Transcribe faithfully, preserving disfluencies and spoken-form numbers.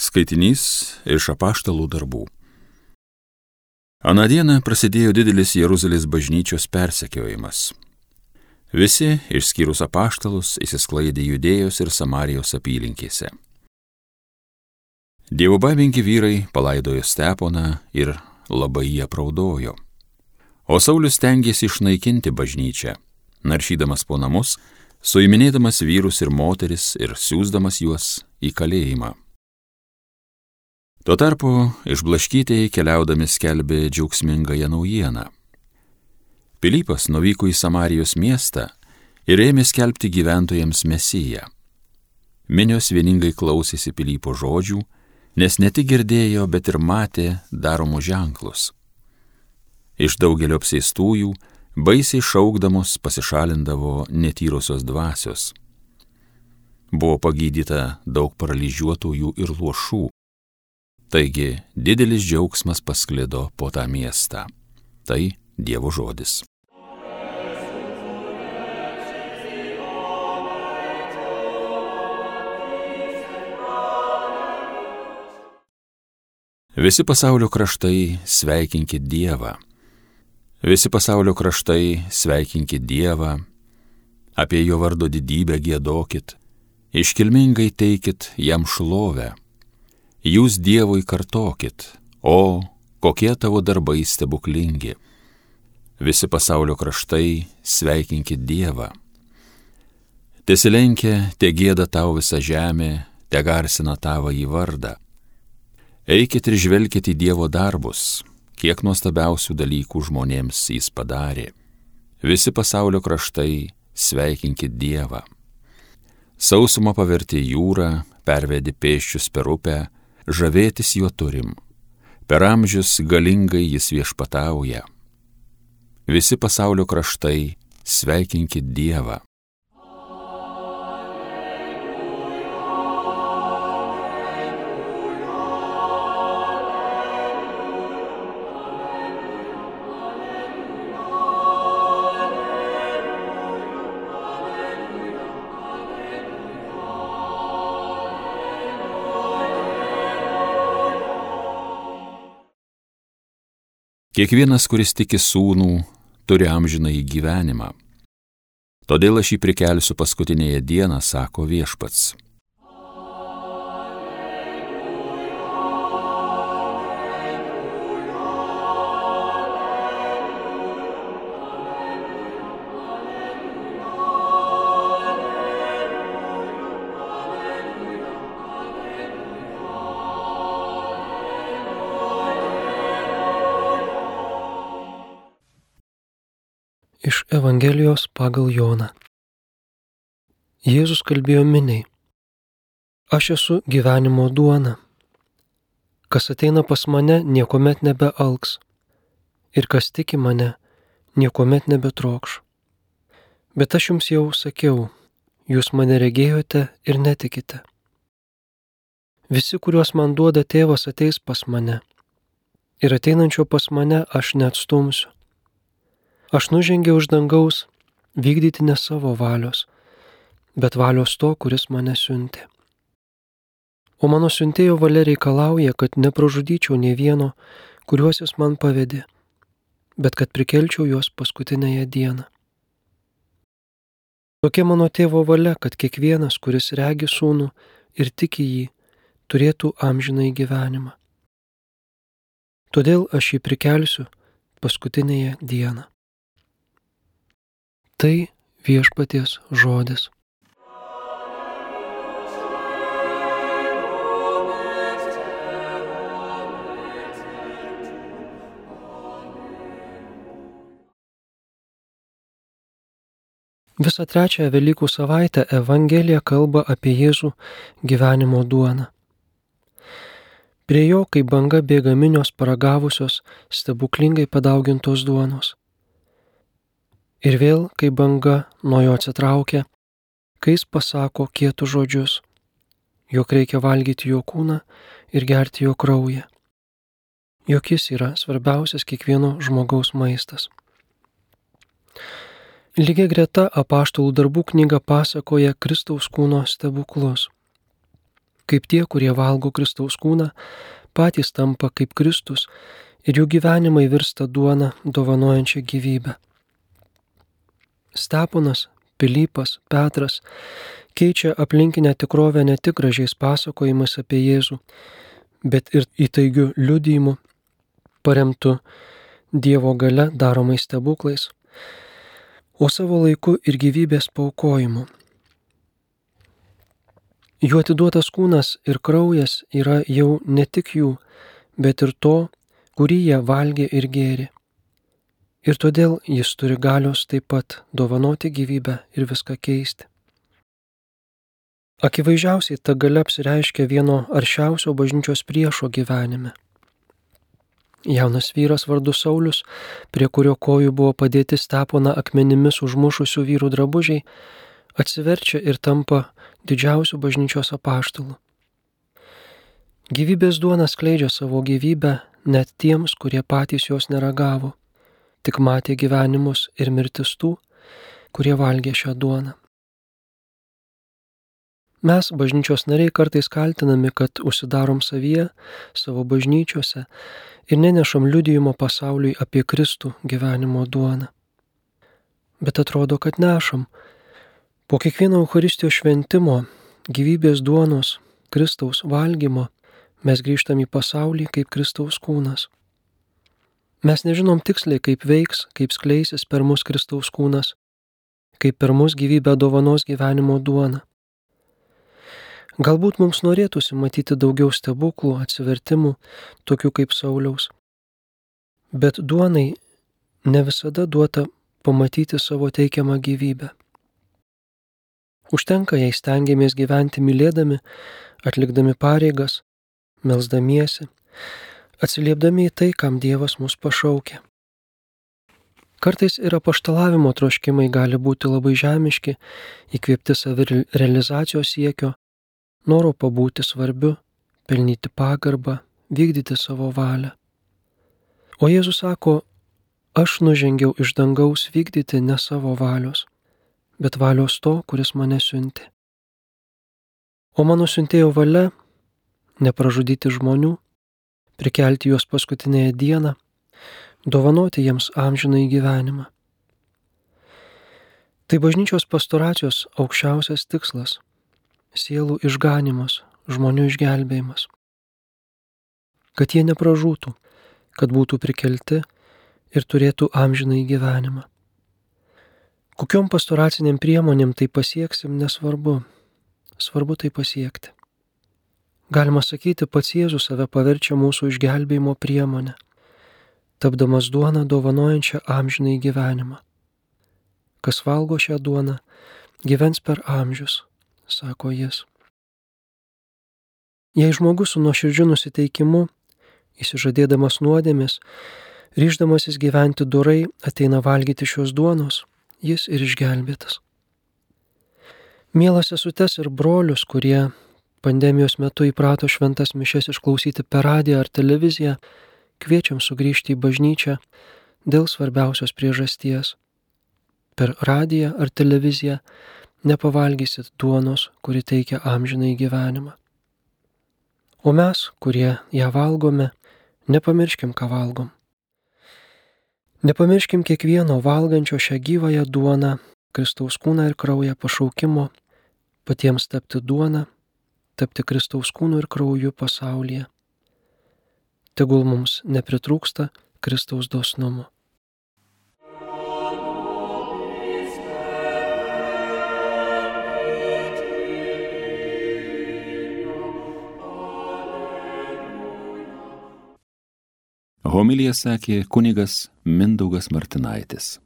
Skaitinys iš Apaštalų darbų. Aną dieną prasidėjo didelis Jeruzalės bažnyčios persekiojimas. Visi, išskyrus apaštalus, įsisklaidė Judėjos ir Samarijos apylinkėse. Dievobaimingi vyrai palaidojo Steponą ir labai jie apraudojo. O Saulius stengėsi išnaikinti bažnyčią, naršydamas po namus, suiminėdamas vyrus ir moteris ir siųsdamas juos į kalėjimą. Tuo tarpu išblaškytieji keliaudami skelbė džiaugsmingąją naujieną. Pilypas nuvyko į Samarijos miestą ir ėmė skelbti gyventojams Mesiją. Minios vieningai klausėsi Pilypo žodžių, nes ne tik girdėjo, bet ir matė daromus ženklus. Iš daugelio apsėstųjų, baisiai šaukdamos, pasišalindavo netyrosios dvasios. Buvo pagydyta daug paralyžiuotųjų ir luošų. Taigi didelis džiaugsmas pasklido po tą miestą. Tai Dievo žodis. Visi pasaulio kraštai sveikinkit Dievą. Visi pasaulio kraštai sveikinkit Dievą. Apie jo vardo didybę giedokit. Iškilmingai teikit jam šlovę. Jūs Dievui kartokit, o kokie tavo darbai stebuklingi. Visi pasaulio kraštai sveikinkit Dievą. Tesilenkia, te gieda tau visa žemė, te garsina tavo į vardą. Eikit ir žvelkit į Dievo darbus, kiek nuostabiausių dalykų žmonėms jis padarė. Visi pasaulio kraštai sveikinkit Dievą. Sausumą pavertė jūrą, pervedė pėsčius per upę, žavėtis juo turim. Per amžius galingai jis viešpatauja. Visi pasaulio kraštai sveikinkit Dievą. Kiekvienas, kuris tiki sūnų, turi amžinąjį gyvenimą. Todėl aš jį prikelsiu paskutinėje dieną, sako viešpats. Iš Evangelijos pagal Joną. Jėzus kalbėjo miniai: Aš esu gyvenimo duona. Kas ateina pas mane, niekuomet nebealks, ir kas tiki mane, niekuomet nebetrokš. Bet aš jums jau sakiau, jūs mane regėjote ir netikite. Visi, kuriuos man duoda tėvas, ateis pas mane, ir ateinančio pas mane aš neatstumsiu. Aš nužengiau iš dangaus vykdyti ne savo valios, bet valios to, kuris mane siuntė. O mano siuntėjo valia reikalauja, kad nepražudyčiau nė vieno, kuriuos jis man pavedė, bet kad prikelčiau juos paskutinėje dieną. Tokia mano tėvo valia, kad kiekvienas, kuris regi sūnų ir tiki jį, turėtų amžinąjį gyvenimą. Todėl aš jį prikelsiu paskutinėje dieną. Tai viešpaties žodis. Visą trečiąją Velykų savaitę Evangelija kalba apie Jėzų gyvenimo duoną. Prie jo, kaip banga bėga minios paragavusios stebuklingai padaugintos duonos. Ir vėl, kai banga nuo jo atsitraukia, kai jis pasako kietus žodžius, jog reikia valgyti jo kūną ir gerti jo kraują, jog jis yra svarbiausias kiekvieno žmogaus maistas. Lygiai greta Apaštalų darbų knyga pasakoja Kristaus kūno stebuklus. kaip tie, kurie valgo Kristaus kūną, patys tampa kaip Kristus ir jų gyvenimai virsta duona dovanojančia gyvybę. Steponas, Pilypas, Petras keičia aplinkinę tikrovę ne tik gražiais pasakojimais apie Jėzų, bet ir įtaigiu liudijimu, paremtu Dievo gale daromais stebuklais, o savo laiku ir gyvybės paaukojimu. Jų atiduotas kūnas ir kraujas yra jau ne tik jų, bet ir to, kurį jie valgė ir gėrė. Ir todėl jis turi galios taip pat dovanoti gyvybę ir viską keisti. Akivaizdžiausiai ta galia apsireiškia vieno aršiausio bažnyčios priešo gyvenime. Jaunas vyras vardu Saulius, prie kurio kojų buvo padėti Steponą akmenimis užmušusių vyrų drabužiai, atsiverčia ir tampa didžiausių bažnyčios apaštalų. Gyvybės duona skleidžia savo gyvybę net tiems, kurie patys jos neragavo, tik matė gyvenimus ir mirtis tų, kurie valgė šią duoną. Mes, bažnyčios nariai, kartais kaltinami, kad užsidarom savyje, savo bažnyčiose ir nenešam liudijimo pasauliui apie Kristų gyvenimo duoną. Bet atrodo, kad nešam. Po kiekvieno Eucharistijos šventimo, gyvybės duonos, Kristaus valgymo, mes grįžtam į pasaulį kaip Kristaus kūnas. Mes nežinom tiksliai, kaip veiks, kaip skleisis per mus Kristaus kūnas, kaip per mus gyvybę dovanos gyvenimo duona. Galbūt mums norėtųsi matyti daugiau stebuklų, atsivertimų, tokių kaip Sauliaus. Bet duonai ne visada duota pamatyti savo teikiamą gyvybę. Užtenka, jei stengiamės gyventi mylėdami, atlikdami pareigas, melsdamiesi, atsiliepdami į tai, kam Dievas mus pašaukė. Kartais ir apaštalavimo troškimai gali būti labai žemiški, įkvėpti savirealizacijos siekio, noro pabūti svarbiu, pelnyti pagarbą, vykdyti savo valią. O Jėzus sako, aš nužengiau iš dangaus vykdyti ne savo valios, bet valios to, kuris mane siuntė. O mano siuntėjo valia – nepražudyti žmonių, prikelti juos paskutinėje dieną, dovanoti jiems amžinąjį gyvenimą. Tai bažnyčios pastoracijos aukščiausias tikslas – sielų išganimas, žmonių išgelbėjimas. Kad jie nepražūtų, kad būtų prikelti ir turėtų amžinąjį gyvenimą. Kokiom pastoraciniam priemonėm tai pasieksim, nesvarbu. Svarbu tai pasiekti. Galima sakyti, pats Jėzus save paverčia mūsų išgelbėjimo priemonę, tapdamas duoną dovanojančią amžinąjį gyvenimą. Kas valgo šią duoną, gyvens per amžius, sako jis. Jei žmogus su nuoširdžiu nusiteikimu, įsižadėdamas nuodėmės, ryždamasis gyventi dorai, ateina valgyti šios duonos, jis ir išgelbėtas. Mielas sesutes ir brolius, kurie pandemijos metu įprato šventas mišias išklausyti per radiją ar televiziją, kviečiam sugrįžti į bažnyčią dėl svarbiausios priežasties. Per radiją ar televiziją nepavalgysit duonos, kuri teikia amžinąjį gyvenimą. O mes, kurie ją valgome, nepamirškim, ką valgom. Nepamirškim kiekvieno valgančio šią gyvąją duoną, Kristaus kūną ir kraują pašaukimo, patiems tapti duoną, tapti Kristaus kūnu ir krauju pasaulyje. Tegul mums nepritrūksta Kristaus dosnumo. Homiliją sakė kunigas Mindaugas Martinaitis.